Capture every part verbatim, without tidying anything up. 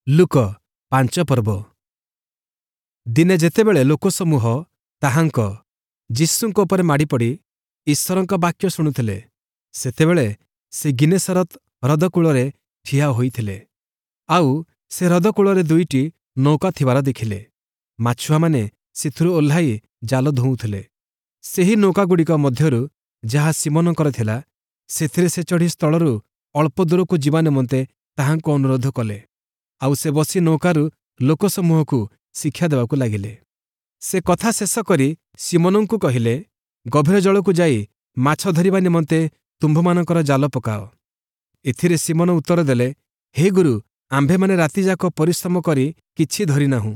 ଲୂକ ପାଞ୍ଚ ପର୍ବ ଦିନେ ଯେତେବେଳେ ଲୋକସମୂହ ତାହାଙ୍କ ଯୀଶୁଙ୍କ ଉପରେ ମାଡ଼ିପଡ଼ି ଈଶ୍ୱରଙ୍କ ବାକ୍ୟ ଶୁଣୁଥିଲେ, ସେତେବେଳେ ସେ ଗିନେସରତ ହ୍ରଦ କୂଳରେ ଠିଆ ହୋଇଥିଲେ। ଆଉ ସେ ହ୍ରଦ କୂଳରେ ଦୁଇଟି ନୌକା ଥିବାର ଦେଖିଲେ। ମାଛୁଆମାନେ ସେଥିରୁ ଓହ୍ଲାଇ ଜାଲ ଧୋଉଥିଲେ। ସେହି ନୌକାଗୁଡ଼ିକ ମଧ୍ୟରୁ ଯାହା ଶିମୋନଙ୍କର ଥିଲା, ସେଥିରେ ସେ ଚଢ଼ି ସ୍ଥଳରୁ ଅଳ୍ପ ଦୂରକୁ ଯିବା ନିମନ୍ତେ ତାହାଙ୍କୁ ଅନୁରୋଧ କଲେ। ଆଉ ସେ ବସି ନୌକାରୁ ଲୋକସମୂହକୁ ଶିକ୍ଷା ଦେବାକୁ ଲାଗିଲେ। ସେ କଥା ଶେଷ କରି ଶିମୋନଙ୍କୁ କହିଲେ, ଗଭୀର ଜଳକୁ ଯାଇ ମାଛ ଧରିବା ନିମନ୍ତେ ତୁମ୍ଭମାନଙ୍କର ଜାଲ ପକାଅ। ଏଥିରେ ଶିମୋନ ଉତ୍ତର ଦେଲେ, ହେ ଗୁରୁ, ଆମ୍ଭେମାନେ ରାତିଯାକ ପରିଶ୍ରମ କରି କିଛି ଧରିନାହୁଁ,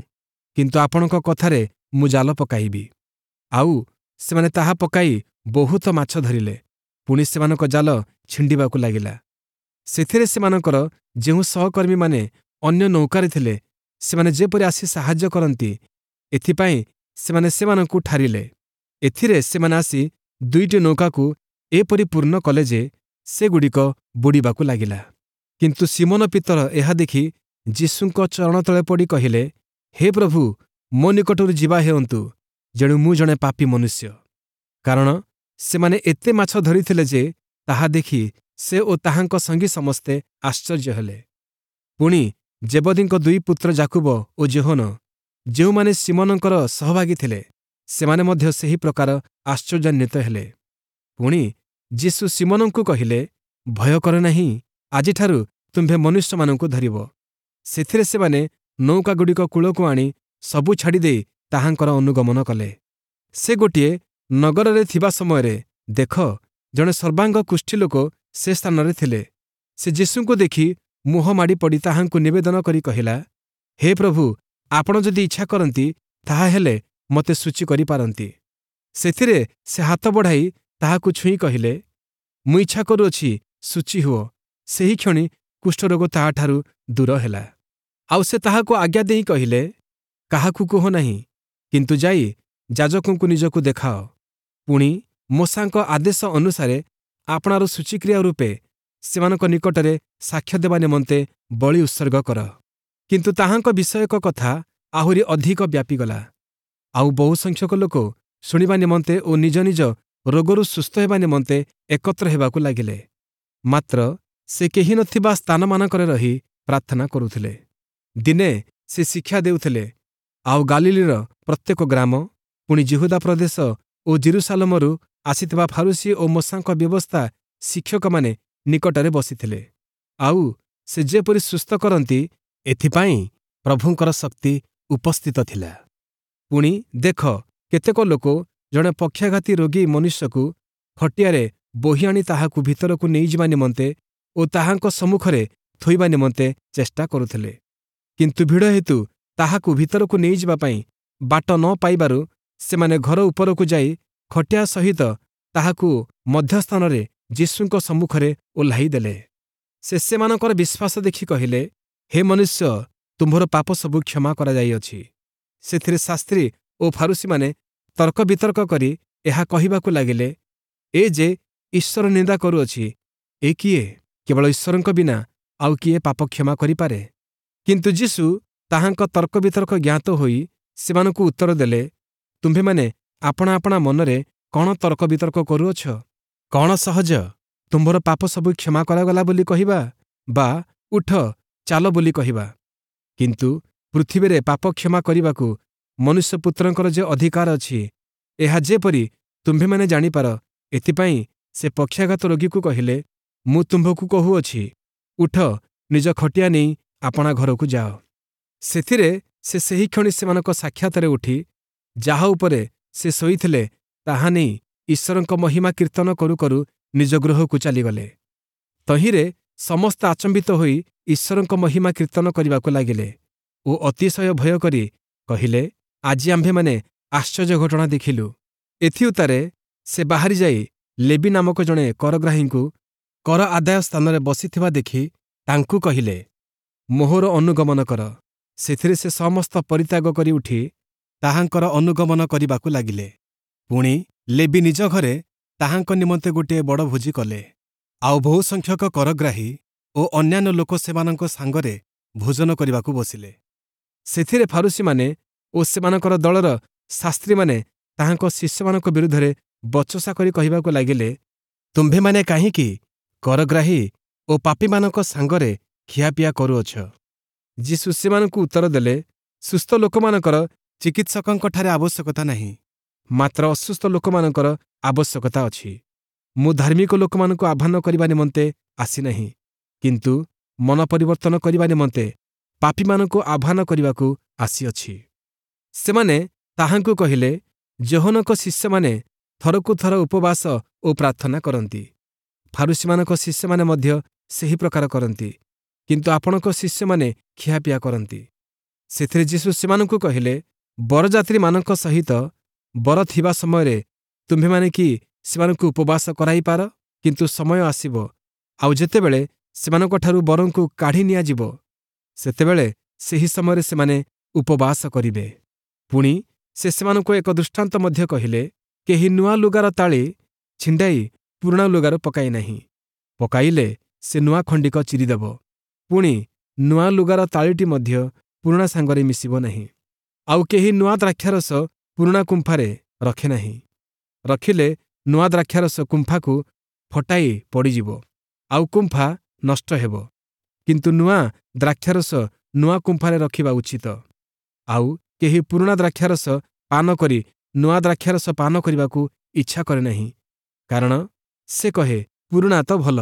କିନ୍ତୁ ଆପଣଙ୍କ କଥାରେ ମୁଁ ଜାଲ ପକାଇବି। ଆଉ ସେମାନେ ତାହା ପକାଇ ବହୁତ ମାଛ ଧରିଲେ, ପୁଣି ସେମାନଙ୍କ ଜାଲ ଛିଣ୍ଡିବାକୁ ଲାଗିଲା। ସେଥିରେ ସେମାନଙ୍କର ଯେଉଁ ସହକର୍ମୀମାନେ ଅନ୍ୟ ନୌକାରେ ଥିଲେ, ସେମାନେ ଯେପରି ଆସି ସାହାଯ୍ୟ କରନ୍ତି, ଏଥିପାଇଁ ସେମାନେ ସେମାନଙ୍କୁ ଠାରିଲେ। ଏଥିରେ ସେମାନେ ଆସି ଦୁଇଟି ନୌକାକୁ ଏପରି ପୂର୍ଣ୍ଣ କଲେ ଯେ ସେଗୁଡ଼ିକ ବୁଡ଼ିବାକୁ ଲାଗିଲା। କିନ୍ତୁ ଶିମୋନ ପିତର ଏହା ଦେଖି ଯୀଶୁଙ୍କ ଚରଣ ତଳେ ପଡ଼ି କହିଲେ, ହେ ପ୍ରଭୁ, ମୋ ନିକଟରୁ ଯିବା ହେଉନ୍ତୁ, ଯେଣୁ ମୁଁ ଜଣେ ପାପୀ ମନୁଷ୍ୟ। କାରଣ ସେମାନେ ଏତେ ମାଛ ଧରିଥିଲେ ଯେ ତାହା ଦେଖି ସେ ଓ ତାହାଙ୍କ ସଙ୍ଗୀ ସମସ୍ତେ ଆଶ୍ଚର୍ଯ୍ୟ ହେଲେ। ପୁଣି ଜେବଦୀଙ୍କ ଦୁଇ ପୁତ୍ର ଯାକୁବ ଓ ଯୋହନ, ଯେଉଁମାନେ ଶିମୋନଙ୍କର ସହଭାଗୀ ଥିଲେ, ସେମାନେ ମଧ୍ୟ ସେହି ପ୍ରକାର ଆଶ୍ଚର୍ଯ୍ୟାନ୍ୱିତ ହେଲେ। ପୁଣି ଯୀଶୁ ଶିମୋନଙ୍କୁ କହିଲେ, ଭୟ କର ନାହିଁ, ଆଜିଠାରୁ ତୁମ୍ଭେ ମନୁଷ୍ୟମାନଙ୍କୁ ଧରିବ। ସେଥିରେ ସେମାନେ ନୌକାଗୁଡ଼ିକ କୂଳକୁ ଆଣି ସବୁ ଛାଡ଼ିଦେଇ ତାହାଙ୍କର ଅନୁଗମନ କଲେ। ସେ ଗୋଟିଏ ନଗରରେ ଥିବା ସମୟରେ ଦେଖ, ଜଣେ ସର୍ବାଙ୍ଗ କୁଷ୍ଠୀ ଲୋକ ସେ ସ୍ଥାନରେ ଥିଲେ। ସେ ଯୀଶୁଙ୍କୁ ଦେଖି ମୁହଁ ମାଡ଼ି ପଡ଼ି ତାହାଙ୍କୁ ନିବେଦନ କରି କହିଲା, ହେ ପ୍ରଭୁ, ଆପଣ ଯଦି ଇଚ୍ଛା କରନ୍ତି, ତାହାହେଲେ ମୋତେ ଶୁଚି କରିପାରନ୍ତି। ସେଥିରେ ସେ ହାତ ବଢ଼ାଇ ତାହାକୁ ଛୁଇଁ କହିଲେ, ମୁଁ ଇଚ୍ଛା କରୁଅଛି, ଶୁଚି ହୁଅ। ସେହିକ୍ଷଣି କୁଷ୍ଠରୋଗ ତାହାଠାରୁ ଦୂର ହେଲା। ଆଉ ସେ ତାହାକୁ ଆଜ୍ଞା ଦେଇ କହିଲେ, କାହାକୁ କୁହ ନାହିଁ, କିନ୍ତୁ ଯାଇ ଯାଜକଙ୍କୁ ନିଜକୁ ଦେଖାଅ। ପୁଣି ମୋଶାଙ୍କ ଆଦେଶ ଅନୁସାରେ ଆପଣାର ଶୁଚିକ୍ରିୟା ରୂପେ ସେମାନଙ୍କ ନିକଟରେ ସାକ୍ଷ୍ୟ ଦେବା ନିମନ୍ତେ ବଳି ଉତ୍ସର୍ଗ କର। କିନ୍ତୁ ତାହାଙ୍କ ବିଷୟକ କଥା ଆହୁରି ଅଧିକ ବ୍ୟାପିଗଲା। ଆଉ ବହୁସଂଖ୍ୟକ ଲୋକ ଶୁଣିବା ନିମନ୍ତେ ଓ ନିଜ ନିଜ ରୋଗରୁ ସୁସ୍ଥ ହେବା ନିମନ୍ତେ ଏକତ୍ର ହେବାକୁ ଲାଗିଲେ। ମାତ୍ର ସେ କେହି ନଥିବା ସ୍ଥାନମାନଙ୍କରେ ରହି ପ୍ରାର୍ଥନା କରୁଥିଲେ। ଦିନେ ସେ ଶିକ୍ଷା ଦେଉଥିଲେ, ଆଉ ଗାଲିଲୀର ପ୍ରତ୍ୟେକ ଗ୍ରାମ, ପୁଣି ଯିହୁଦା ପ୍ରଦେଶ ଓ ଯିରୂଶାଲମରୁ ଆସିଥିବା ଫାରୂଶୀ ଓ ମୋଶାଙ୍କ ବ୍ୟବସ୍ଥା ଶିକ୍ଷକମାନେ ନିକଟରେ ବସିଥିଲେ। ଆଉ ସେ ଯେପରି ସୁସ୍ଥ କରନ୍ତି, ଏଥିପାଇଁ ପ୍ରଭୁଙ୍କର ଶକ୍ତି ଉପସ୍ଥିତ ଥିଲା। ପୁଣି ଦେଖ, କେତେକ ଲୋକ ଜଣେ ପକ୍ଷାଘାତୀ ରୋଗୀ ମନୁଷ୍ୟକୁ ଖଟିଆରେ ବୋହି ଆଣି ତାହାକୁ ଭିତରକୁ ନେଇଯିବା ନିମନ୍ତେ ଓ ତାହାଙ୍କ ସମ୍ମୁଖରେ ଥୋଇବା ନିମନ୍ତେ ଚେଷ୍ଟା କରୁଥିଲେ। କିନ୍ତୁ ଭିଡ଼ ହେତୁ ତାହାକୁ ଭିତରକୁ ନେଇଯିବା ପାଇଁ ବାଟ ନ ପାଇବାରୁ ସେମାନେ ଘର ଉପରକୁ ଯାଇ ଖଟିଆ ସହିତ ତାହାକୁ ମଧ୍ୟସ୍ଥାନରେ ଯୀଶୁଙ୍କ ସମ୍ମୁଖରେ ଓହ୍ଲାଇ ଦେଲେ। ସେ ସେମାନଙ୍କର ବିଶ୍ୱାସ ଦେଖି କହିଲେ, ହେ ମନୁଷ୍ୟ, ତୁମ୍ଭର ପାପ ସବୁ କ୍ଷମା କରାଯାଇଅଛି। ସେଥିରେ ଶାସ୍ତ୍ରୀ ଓ ଫାରୂଶୀମାନେ ତର୍କ ବିତର୍କ କରି ଏହା କହିବାକୁ ଲାଗିଲେ, ଏ ଯେ ଈଶ୍ୱର ନିନ୍ଦା କରୁଅଛି, ଏ କିଏ? କେବଳ ଈଶ୍ୱରଙ୍କ ବିନା ଆଉ କିଏ ପାପ କ୍ଷମା କରିପାରେ? କିନ୍ତୁ ଯୀଶୁ ତାହାଙ୍କ ତର୍କ ବିତର୍କ ଜ୍ଞାତ ହୋଇ ସେମାନଙ୍କୁ ଉତ୍ତର ଦେଲେ, ତୁମ୍ଭେମାନେ ଆପଣା ଆପଣା ମନରେ କଣ ତର୍କ ବିତର୍କ କରୁଅଛ? କଣ ସହଜ, ତୁମ୍ଭର ପାପ ସବୁ କ୍ଷମା କରାଗଲା ବୋଲି କହିବା, ବା ଉଠ ଚାଲ ବୋଲି କହିବା? କିନ୍ତୁ ପୃଥିବୀରେ ପାପ କ୍ଷମା କରିବାକୁ ମନୁଷ୍ୟପୁତ୍ରଙ୍କର ଯେ ଅଧିକାର ଅଛି, ଏହା ଯେପରି ତୁମ୍ଭେମାନେ ଜାଣିପାର, ଏଥିପାଇଁ ସେ ପକ୍ଷାଘାତ ରୋଗୀକୁ କହିଲେ, ମୁଁ ତୁମ୍ଭକୁ କହୁଅଛି, ଉଠ, ନିଜ ଖଟିଆ ନେଇ ଆପଣା ଘରକୁ ଯାଅ। ସେଥିରେ ସେ ସେହିକ୍ଷଣି ସେମାନଙ୍କ ସାକ୍ଷାତରେ ଉଠି ଯାହା ଉପରେ ସେ ଶୋଇଥିଲେ ତାହା ନେଇ ଈଶ୍ୱରଙ୍କ ମହିମା କୀର୍ତ୍ତନ କରୁ କରୁ ନିଜ ଗୃହକୁ ଚାଲିଗଲେ। ତହିଁରେ ସମସ୍ତେ ଆଚମ୍ବିତ ହୋଇ ଈଶ୍ୱରଙ୍କ ମହିମା କୀର୍ତ୍ତନ କରିବାକୁ ଲାଗିଲେ ଓ ଅତିଶୟ ଭୟ କରି କହିଲେ, ଆଜି ଆମ୍ଭେମାନେ ଆଶ୍ଚର୍ଯ୍ୟ ଘଟଣା ଦେଖିଲୁ। ଏଥିଉତ୍ତାରେ ସେ ବାହାରି ଯାଇ ଲେବୀ ନାମକ ଜଣେ କରଗ୍ରାହୀଙ୍କୁ କର ଆଦାୟ ସ୍ଥାନରେ ବସିଥିବା ଦେଖି ତାଙ୍କୁ କହିଲେ, ମୋହର ଅନୁଗମନ କର। ସେଥିରେ ସେ ସମସ୍ତ ପରିତ୍ୟାଗ କରି ଉଠି ତାହାଙ୍କର ଅନୁଗମନ କରିବାକୁ ଲାଗିଲେ। ପୁଣି ଲେବୀ ନିଜ ଘରେ ତାହାଙ୍କ ନିମନ୍ତେ ଗୋଟିଏ ବଡ଼ ଭୋଜି କଲେ। ଆଉ ବହୁସଂଖ୍ୟକ କରଗ୍ରାହୀ ଓ ଅନ୍ୟାନ୍ୟ ଲୋକ ସେମାନଙ୍କ ସାଙ୍ଗରେ ଭୋଜନ କରିବାକୁ ବସିଲେ। ସେଥିରେ ଫାରୂଶୀମାନେ ଓ ସେମାନଙ୍କର ଦଳର ଶାସ୍ତ୍ରୀମାନେ ତାହାଙ୍କ ଶିଷ୍ୟମାନଙ୍କ ବିରୁଦ୍ଧରେ ବଚସା କରି କହିବାକୁ ଲାଗିଲେ, ତୁମ୍ଭେମାନେ କାହିଁକି କରଗ୍ରାହୀ ଓ ପାପୀମାନଙ୍କ ସାଙ୍ଗରେ ଖିଆପିଆ କରୁଅଛ? ଯୀଶୁ ସେମାନଙ୍କୁ ଉତ୍ତର ଦେଲେ, ସୁସ୍ଥ ଲୋକମାନଙ୍କର ଚିକିତ୍ସକଙ୍କଠାରେ ଆବଶ୍ୟକତା ନାହିଁ, ମାତ୍ର ଅସୁସ୍ଥ ଲୋକମାନଙ୍କର ଆବଶ୍ୟକତା ଅଛି। ମୁଁ ଧାର୍ମିକ ଲୋକମାନଙ୍କୁ ଆହ୍ୱାନ କରିବା ନିମନ୍ତେ ଆସିନାହିଁ, କିନ୍ତୁ ମନ ପରିବର୍ତ୍ତନ କରିବା ନିମନ୍ତେ ପାପୀମାନଙ୍କୁ ଆହ୍ୱାନ କରିବାକୁ ଆସିଅଛି। ସେମାନେ ତାହାଙ୍କୁ କହିଲେ, ଯୋହନଙ୍କ ଶିଷ୍ୟମାନେ ଥରକୁ ଥର ଉପବାସ ଓ ପ୍ରାର୍ଥନା କରନ୍ତି, ଫାରୂଶୀମାନଙ୍କ ଶିଷ୍ୟମାନେ ମଧ୍ୟ ସେହି ପ୍ରକାର କରନ୍ତି, କିନ୍ତୁ ଆପଣଙ୍କ ଶିଷ୍ୟମାନେ ଖିଆପିଆ କରନ୍ତି। ସେଥିରେ ଯୀଶୁ ସେମାନଙ୍କୁ କହିଲେ, ବରଯାତ୍ରୀମାନଙ୍କ ସହିତ ବର ଥିବା ସମୟରେ ତୁମ୍ଭେମାନେ କି ସେମାନଙ୍କୁ ଉପବାସ କରାଇପାର? କିନ୍ତୁ ସମୟ ଆସିବ, ଆଉ ଯେତେବେଳେ ସେମାନଙ୍କଠାରୁ ବରଙ୍କୁ କାଢ଼ି ନିଆଯିବ, ସେତେବେଳେ ସେହି ସମୟରେ ସେମାନେ ଉପବାସ କରିବେ। ପୁଣି ସେ ସେମାନଙ୍କୁ ଏକ ଦୃଷ୍ଟାନ୍ତ ମଧ୍ୟ କହିଲେ, କେହି ନୂଆ ଲୁଗାର ତାଳି ଛିଣ୍ଡାଇ ପୁରୁଣା ଲୁଗାରୁ ପକାଏ ନାହିଁ। ପକାଇଲେ ସେ ନୂଆ ଖଣ୍ଡିକ ଚିରିଦେବ, ପୁଣି ନୂଆ ଲୁଗାର ତାଳିଟି ମଧ୍ୟ ପୁରୁଣା ସାଙ୍ଗରେ ମିଶିବ ନାହିଁ। ଆଉ କେହି ନୂଆ ଦ୍ରାକ୍ଷାରସ ପୁରୁଣା କୁମ୍ଫାରେ ରଖେ ନାହିଁ। ରଖିଲେ ନୂଆ ଦ୍ରାକ୍ଷାରସ କୁମ୍ଫାକୁ ଫଟାଇ ପଡ଼ିଯିବ, ଆଉ କୁମ୍ଫା ନଷ୍ଟ ହେବ। କିନ୍ତୁ ନୂଆ ଦ୍ରାକ୍ଷାରସ ନୂଆ କୁମ୍ଫାରେ ରଖିବା ଉଚିତ। ଆଉ କେହି ପୁରୁଣା ଦ୍ରାକ୍ଷାରସ ପାନ କରି ନୂଆ ଦ୍ରାକ୍ଷାରସ ପାନ କରିବାକୁ ଇଚ୍ଛା କରେ ନାହିଁ, କାରଣ ସେ କହେ, ପୁରୁଣା ତ ଭଲ।